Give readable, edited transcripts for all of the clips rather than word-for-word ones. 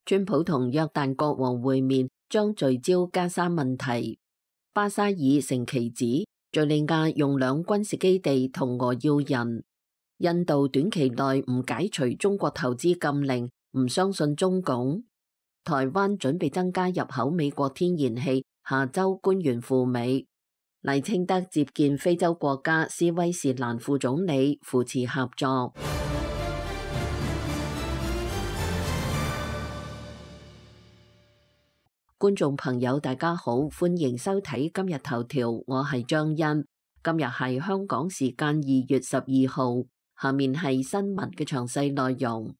川普同約旦國王會面將聚焦加沙問題。巴沙爾承其旨，敘利亞用兩軍事基地同俄要人。印度短期內唔解除中國投資禁令，唔相信中共。台灣準備增加入口美國天然氣，下周官員赴美。賴清德接見非洲國家斯威士蘭副總理，扶持合作。觀眾朋友大家好，歡迎收睇今日頭條，我係張欣。今日係香港時間2月12號，下面係新聞嘅詳細內容。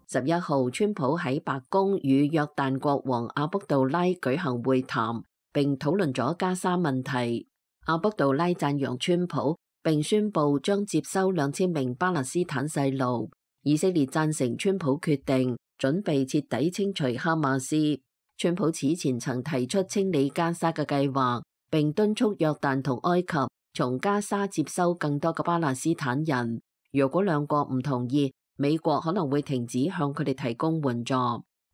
11號，川普喺白宮與約旦國王阿卜杜拉舉行會談，並討論咗加沙問題。阿卜杜拉讚揚川普，並宣布將接收2000名巴勒斯坦細路。以色列贊成川普決定，準備徹底清除哈馬斯。川普此前曾提出清理加沙嘅計劃，並敦促約旦同埃及從加沙接收更多嘅巴勒斯坦人。如果兩國唔同意，美國可能會停止向佢哋提供援助。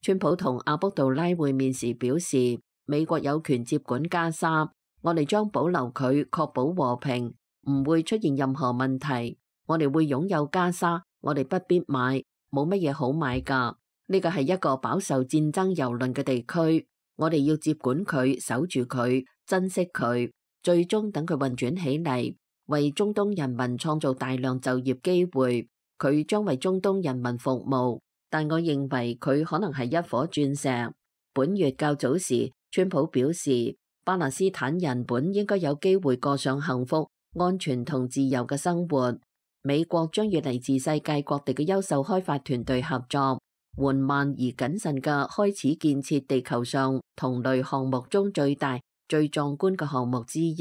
川普同阿卜杜拉會面時表示，美國有權接管加沙，我哋將保留佢，確保和平，唔會出現任何問題。我哋會擁有加沙。我哋不必買，冇乜嘢好買㗎。呢個係一個飽受戰爭蹂躪嘅地區，我哋要接管佢，守住佢，珍惜佢，最終等佢運轉起嚟，為中東人民創造大量就業機會。佢將為中東人民服務，但我認為佢可能係一顆鑽石。本月較早時，川普表示，巴勒斯坦人本應該有機會過上幸福、安全同自由嘅生活。美國將與嚟自世界各地嘅優秀開發團隊合作，緩慢而謹慎嘅開始建設地球上同類項目中最大、最壯觀嘅項目之一。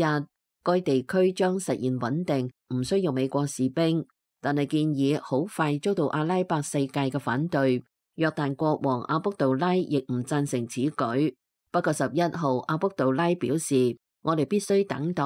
該地區將實現穩定，唔需要美國士兵，但係建議好快遭到阿拉伯世界嘅反對。約旦國王阿卜杜拉亦唔贊成此舉。不過11號，阿卜杜拉表示，我哋必須等待，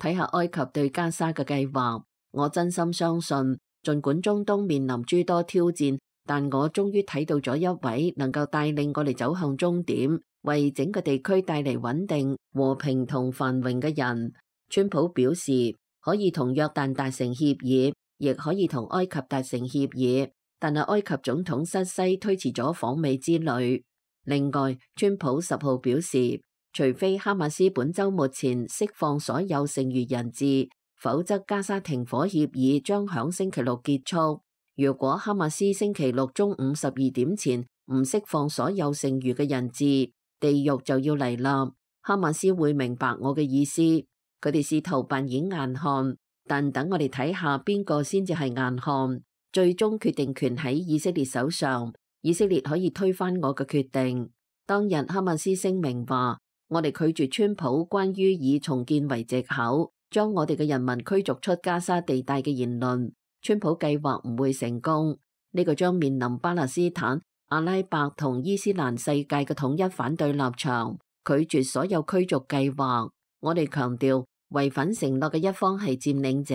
睇下埃及對加沙嘅計劃。我真心相信，儘管中東面臨諸多挑戰，但我終於睇到咗一位能夠帶領我哋走向終點，為整個地區帶嚟穩定、和平同繁榮嘅人。川普表示，可以同約旦達成協議，亦可以同埃及達成協議，但係埃及總統塞西推遲咗訪美之旅。另外，川普10號表示，除非哈馬斯本週末前釋放所有剩餘人質，否則加沙停火協議將響星期六結束。如果哈馬斯星期六中午12點前唔釋放所有剩餘嘅人質，地獄就要嚟啦。哈馬斯會明白我嘅意思，佢哋試圖扮演硬漢，但等我哋睇下邊個先至係硬漢。最終決定權喺以色列手上，以色列可以推翻我嘅決定。當日哈馬斯聲明話，我哋拒絕川普關於以重建為藉口將我哋嘅人民驅逐出加沙地帶嘅言論。川普計劃唔會成功，呢個將面臨巴勒斯坦、阿拉伯同伊斯蘭世界嘅統一反對立場，拒絕所有驅逐計劃。我哋強調，違反承諾嘅一方係佔領者，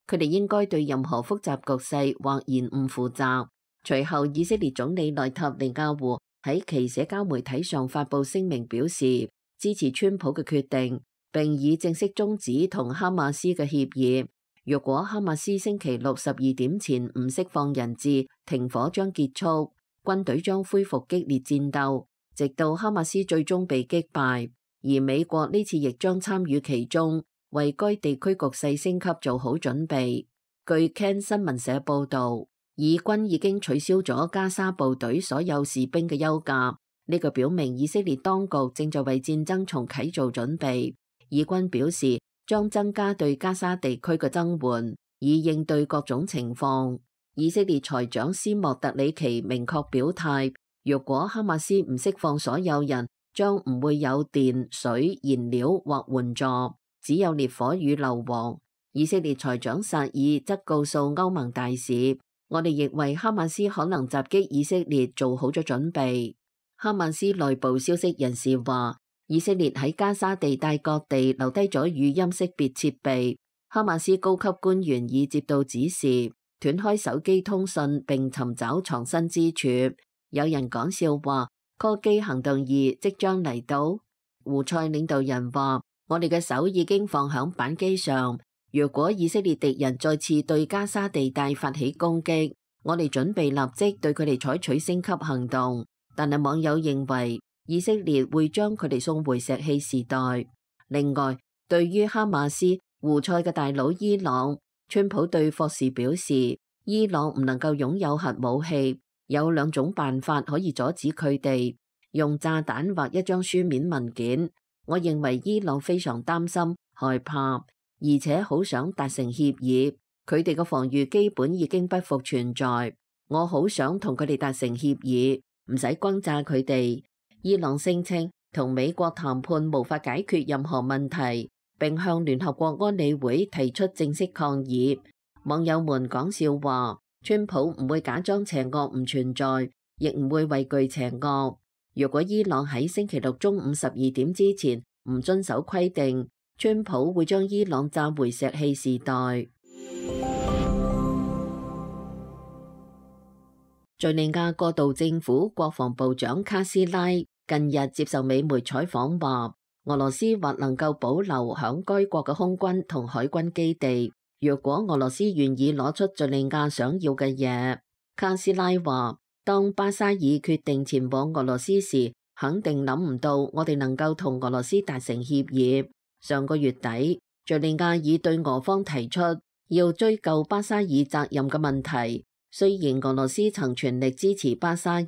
佢哋應該對任何複雜局勢或延誤負責。隨後，以色列總理內塔尼亞胡喺其社交媒體上發布聲明，表示支持川普嘅決定，並已正式終止同哈馬斯嘅協議。若果哈馬斯星期六12點前唔釋放人質，停火將結束，軍隊將恢復激烈戰鬥，直到哈馬斯最終被擊敗。而美國呢次亦將參與其中，為該地區局勢升級做好準備。據 CAN 新聞社報導，以軍已經取消咗加沙部隊所有士兵嘅休假，呢個表明以色列當局正在為戰爭重啟做準備。以軍表示將增加對加沙地區嘅增援，以應對各種情況。以色列財長斯莫特里奇明確表態，若果哈馬斯唔釋放所有人，將唔會有電、水、燃料或援助，只有烈火與硫磺。以色列財長薩爾則告訴歐盟大使，我哋亦為哈馬斯可能襲擊以色列做好咗準備。哈馬斯內部消息人士話，以色列喺加沙地帶各地留低咗語音識別設備。哈馬斯高級官員已接到指示，斷開手機通訊並尋找藏身之處。有人講笑話，柯基行動2即將嚟到。胡塞領導人話：我哋嘅手已經放響扳機上，如果以色列敵人再次對加沙地帶發起攻擊，我哋準備立即對佢哋採取升級行動。但係網友認為以色列會將佢哋送回石器時代。另外，對於哈馬斯、胡塞嘅大佬伊朗，川普對霍士表示，伊朗唔能夠擁有核武器，有2種辦法可以阻止佢哋。用炸彈或一張書面文件。我認為伊朗非常擔心、害怕，而且好想達成協議。佢哋嘅防禦基本已經不復存在。我好想同佢哋達成協議，唔使轟炸佢哋。伊朗聲稱同美國談判無法解決任何問題，並向聯合國安理會提出正式抗議。網友們講笑話，川普唔會假裝邪惡唔存在，亦唔會畏懼邪惡。如果伊朗喺星期六中午12點之前唔遵守規定，川普會將伊朗炸回石器時代。敘利亞過渡政府國防部長卡斯拉近日接受美媒採訪話，俄羅斯或能夠保留響該國嘅空軍同海軍基地，若果俄羅斯願意攞出敘利亞想要嘅嘢。卡斯拉話，當巴沙爾決定前往俄羅斯時，肯定諗唔到我哋能夠同俄羅斯達成協議。上個月底，敘利亞已對俄方提出要追究巴沙爾責任嘅問題。雖然俄羅斯曾全力支持巴沙爾，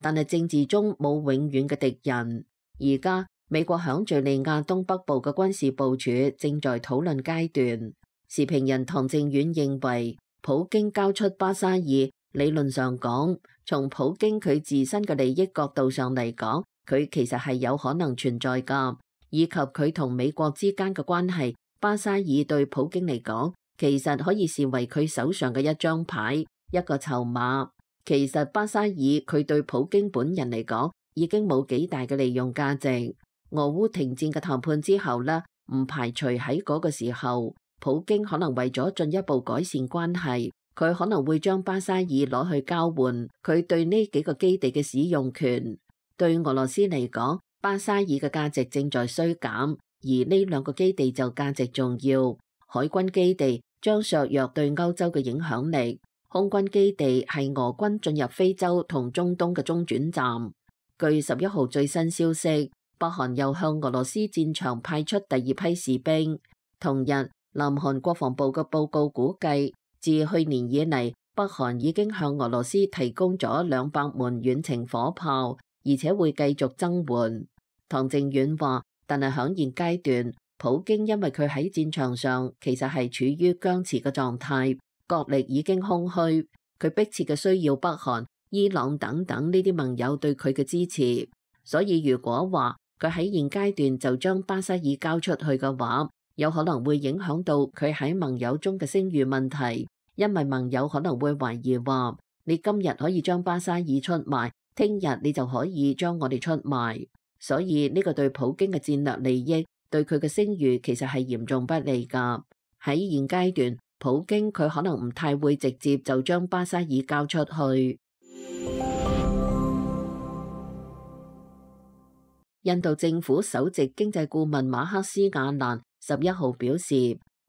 但係政治中冇永遠嘅敵人。而家美國響敘利亞東北部嘅軍事部署正在討論階段。時評人唐正遠認為，普京交出巴沙爾，理論上講，從普京佢自身嘅利益角度上嚟講，佢其實係有可能存在㗎，以及佢同美國之間嘅關係。巴沙爾對普京嚟講，其實可以視為佢手上嘅一張牌，一個籌碼。其實巴沙爾佢對普京本人嚟講，已經冇幾大嘅利用價值。俄烏停戰嘅談判之後呢，唔排除喺嗰個時候，普京可能為咗進一步改善關係，佢可能會將巴沙爾攞去交換佢對呢幾個基地嘅使用權。對俄羅斯嚟講，巴沙爾嘅價值正在衰減，而呢2個基地就價值重要。海軍基地將削弱對歐洲嘅影響力，空軍基地係俄軍進入非洲同中東嘅中轉站。據11號最新消息，北韓又向俄羅斯戰場派出第2批士兵。同日，南韓國防部嘅報告估計，自去年以嚟，北韓已經向俄羅斯提供咗200門遠程火炮，而且會繼續增援。唐正遠話，但係響現階段，普京因為佢喺戰場上其實係處於僵持嘅狀態，國力已經空虛，佢迫切嘅需要北韓、伊朗等等呢啲盟友對佢嘅支持。所以如果話佢喺現階段就將巴沙爾交出去嘅話，有可能會影響到佢喺盟友中嘅聲譽問題，因為盟友可能會懷疑話，你今日可以將巴沙爾出賣，聽日你就可以將我哋出賣。所以呢個對普京嘅戰略利益，對佢嘅聲譽其實係嚴重不利㗎。喺現階段，普京佢可能唔太會直接就將巴沙爾交出去。印度政府首席經濟顧問馬克斯亞蘭11號表示，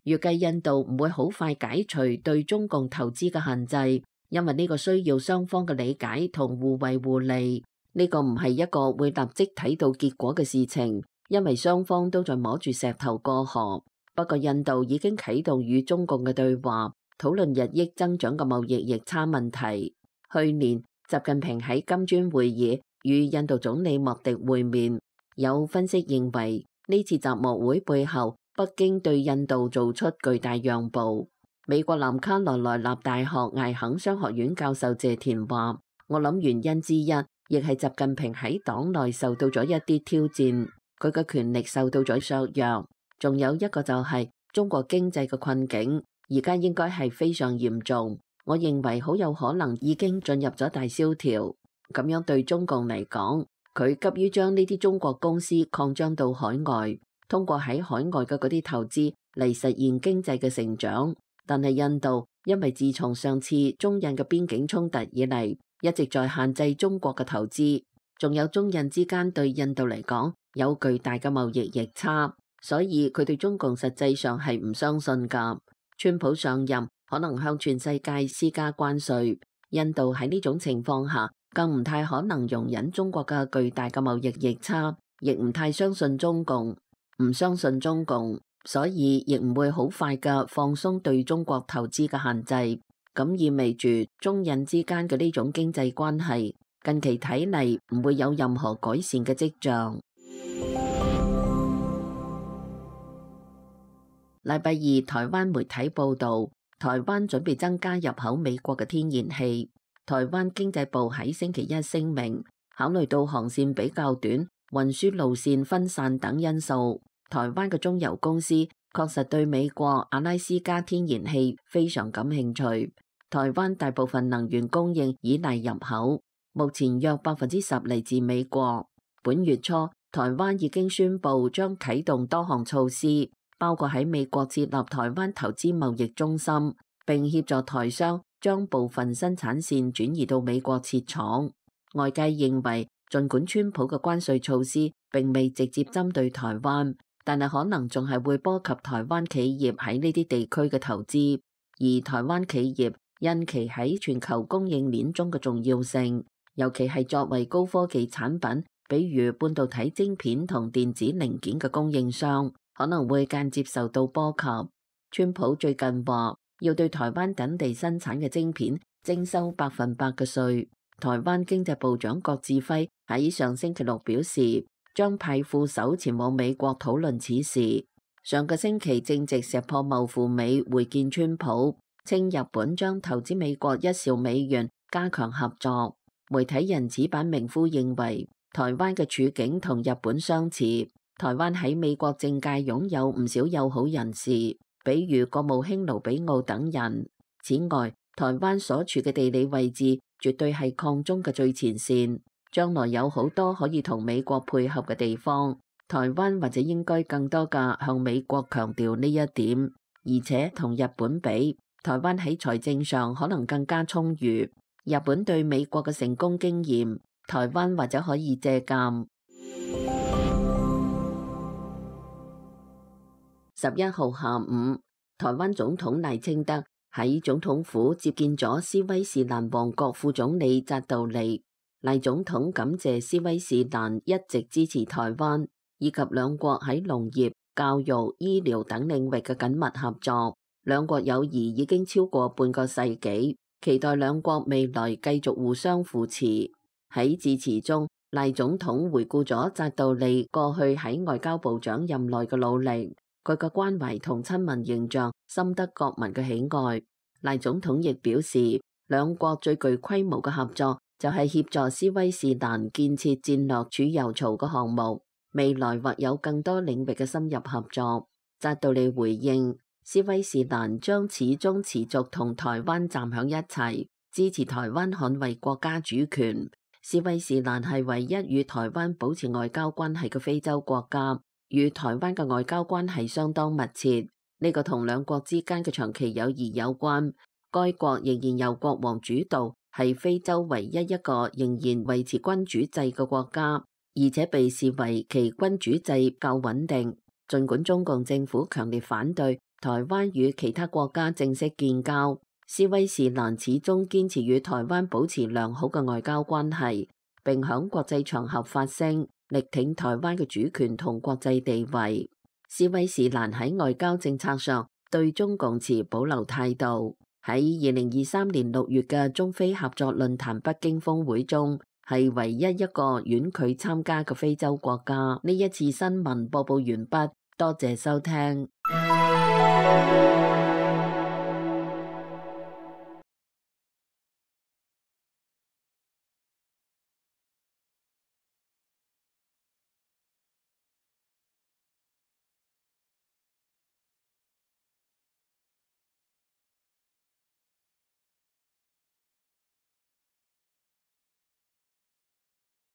預計印度唔會好快解除對中共投資嘅限制，因為呢個需要雙方嘅理解同互惠互利。呢個唔係一個會立即睇到結果嘅事情，因為雙方都在摸住石頭過河。不過印度已經啟動與中共嘅對話，討論日益增長嘅貿易逆差問題。去年習近平喺金磚會議與印度總理莫迪會面，有分析認為呢次習莫會背後，北京對印度做出巨大讓步。美國南卡羅來納大學艾肯商學院教授謝田話，我諗原因之一，亦係習近平喺黨內受到咗一啲挑戰，佢嘅權力受到咗削弱。仲有一個就係中國經濟嘅困境，而家應該係非常嚴重。我認為好有可能已經進入咗大蕭條。咁樣對中共嚟講，佢急於將呢啲中國公司擴張到海外，通過喺海外嘅嗰啲投資嚟實現經濟嘅成長。但係印度因為自從上次中印嘅邊境衝突以嚟，一直在限制中國嘅投資，仲有中印之間對印度嚟講有巨大嘅貿易逆差，所以佢對中共實際上係唔相信㗎。川普上任可能向全世界施加關稅，印度喺呢種情況下更唔太可能容忍中國嘅巨大嘅貿易逆差，亦唔太相信中共，唔相信中共，所以亦唔會好快嘅放鬆對中國投資嘅限制。咁意味住中印之間嘅呢種經濟關係近期睇嚟唔會有任何改善嘅跡象。禮拜二，台灣媒體報導，台灣準備增加入口美國嘅天然氣。台灣經濟部喺星期一聲明，考慮到航線比較短、運輸路線分散等因素，台灣嘅中油公司確實對美國阿拉斯加天然氣非常感興趣。台灣大部分能源供應依賴入口，目前約10%嚟自美國。本月初，台灣已經宣布將啟動多項措施，包括喺美國設立台灣投資貿易中心，並協助台商將部分生產線轉移到美國設廠。外界認為，儘管川普嘅關稅措施並未直接針對台灣，但係可能仲係會波及台灣企業喺呢啲地區嘅投資。而台灣企業因其喺全球供應鏈中嘅重要性，尤其係作為高科技產品，比如半導體晶片同電子零件嘅供應商，可能會間接受到波及。川普最近話要對台灣等地生產嘅晶片徵收100%嘅稅。台灣經濟部長郭志輝喺上星期六表示，將派副手前往美國討論此事。上個星期正值石破茂赴美會見川普，稱日本將投資美國1兆美元加強合作。媒體人矢板明夫認為，台灣嘅處境同日本相似。台灣喺美國政界擁有唔少友好人士，比如國務卿盧比奧等人。此外，台灣所處嘅地理位置絕對係抗中嘅最前線，將來有好多可以同美國配合嘅地方。台灣或者應該更多嘅向美國強調呢一點，而且同日本比，台灣喺財政上可能更加充裕。日本對美國嘅成功經驗，台灣或者可以借鑑。11號下午，台灣總統賴清德喺總統府接見咗斯威士蘭王國副總理扎道利。賴總統感謝斯威士蘭一直支持台灣，以及兩國喺農業、教育、醫療等領域嘅緊密合作。兩國友誼已經超過半個世紀，期待兩國未來繼續互相扶持。喺致辭中，賴總統回顧咗扎道利過去喺外交部長任內嘅努力，佢嘅關懷同親民形象深得國民嘅喜愛。賴總統亦表示，兩國最具規模嘅合作就係協助斯威士蘭建設戰略儲油槽嘅項目，未來或有更多領域嘅深入合作。扎道利回應，斯威士蘭將始終持續同台灣站響一齊，支持台灣捍衛國家主權。斯威士蘭係唯一與台灣保持外交關係嘅非洲國家，與台灣嘅外交關係相當密切。呢個同兩國之間嘅長期友誼有關。該國仍然由國王主導，係非洲唯一一個仍然維持君主制嘅國家，而且被視為其君主制較穩定。儘管中共政府強烈反對台灣與其他國家正式建交，斯威士蘭始終堅持與台灣保持良好嘅外交關係，並響國際場合發聲，力挺台灣嘅主權同國際地位。斯威士蘭喺外交政策上對中共持保留態度。喺2023年6月嘅中非合作論壇北京峰會中，係唯一一個婉拒參加嘅非洲國家。呢一次新聞播報完畢，多謝收聽。